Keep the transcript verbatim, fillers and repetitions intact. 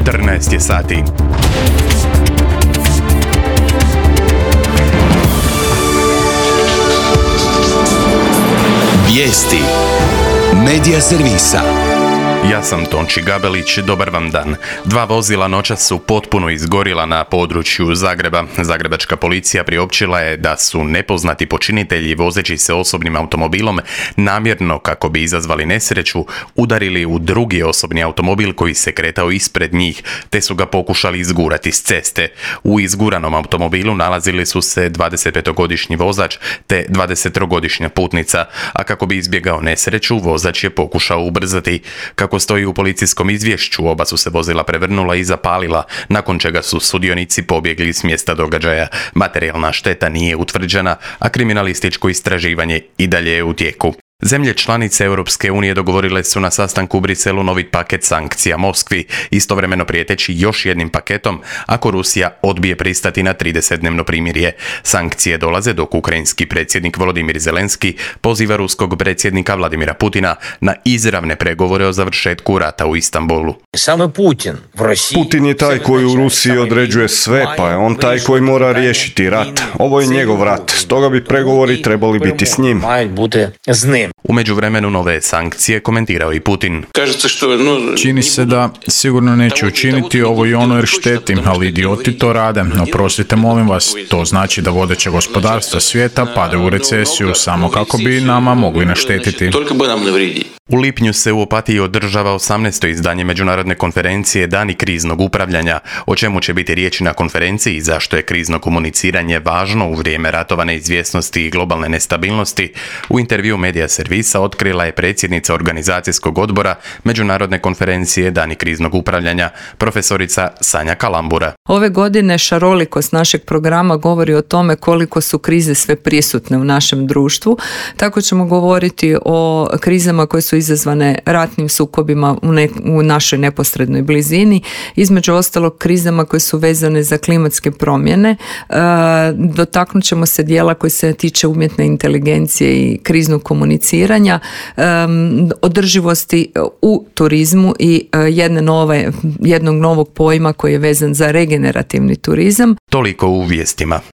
četrnaest je sati. Vijesti Medija servisa. Ja sam Tonči Gabelić, dobar vam dan. Dva vozila noćas su potpuno izgorila na području Zagreba. Zagrebačka policija priopćila je da su nepoznati počinitelji vozeći se osobnim automobilom namjerno, kako bi izazvali nesreću, udarili u drugi osobni automobil koji se kretao ispred njih, te su ga pokušali izgurati s ceste. U izguranom automobilu nalazili su se dvadesetpetogodišnji vozač te dvadesettrogodišnja putnica, a kako bi izbjegao nesreću, vozač je pokušao ubrzati. Kako stoji u policijskom izvješću, oba su se vozila prevrnula i zapalila, nakon čega su sudionici pobjegli s mjesta događaja. Materijalna šteta nije utvrđena, a kriminalističko istraživanje i dalje je u tijeku. Zemlje članice Europske unije dogovorile su na sastanku u Briselu novi paket sankcija Moskvi, istovremeno prijeteći još jednim paketom ako Rusija odbije pristati na tridesetdnevno primirje. Sankcije dolaze dok ukrajinski predsjednik Volodimir Zelenski poziva ruskog predsjednika Vladimira Putina na izravne pregovore o završetku rata u Istanbulu. Samo Putin u Rusiji. Putin je taj koji u Rusiji određuje sve, pa je on taj koji mora riješiti rat. Ovo je njegov rat, stoga bi pregovori trebali biti s njim. U međuvremenu nove sankcije komentirao i Putin. Čini se da sigurno neće učiniti ovo i ono jer šteti, ali idioti to rade. Oprostite, molim vas, to znači da vodeće gospodarstva svijeta pade u recesiju samo kako bi nama mogli naštetiti. U lipnju se u Opatiji održava osamnaesto izdanje međunarodne konferencije Dani kriznog upravljanja. O čemu će biti riječi na konferenciji i zašto je krizno komuniciranje važno u vrijeme ratova neizvjesnosti i globalne nestabilnosti, u intervju Medija servisa otkrila je predsjednica organizacijskog odbora Međunarodne konferencije Dani kriznog upravljanja, profesorica Sanja Kalambura. Ove godine šarolikost našeg programa govori o tome koliko su krize sve prisutne u našem društvu. Tako ćemo govoriti o krizama koje su izazvane ratnim sukobima u, ne, u našoj neposrednoj blizini, između ostalog krizama koje su vezane za klimatske promjene. E, dotaknut ćemo se dijela koji se tiče umjetne inteligencije i kriznog komuniciranja, e, održivosti u turizmu i jedne nove, jednog novog pojma koji je vezan za regenerativni turizam. Toliko u vijestima.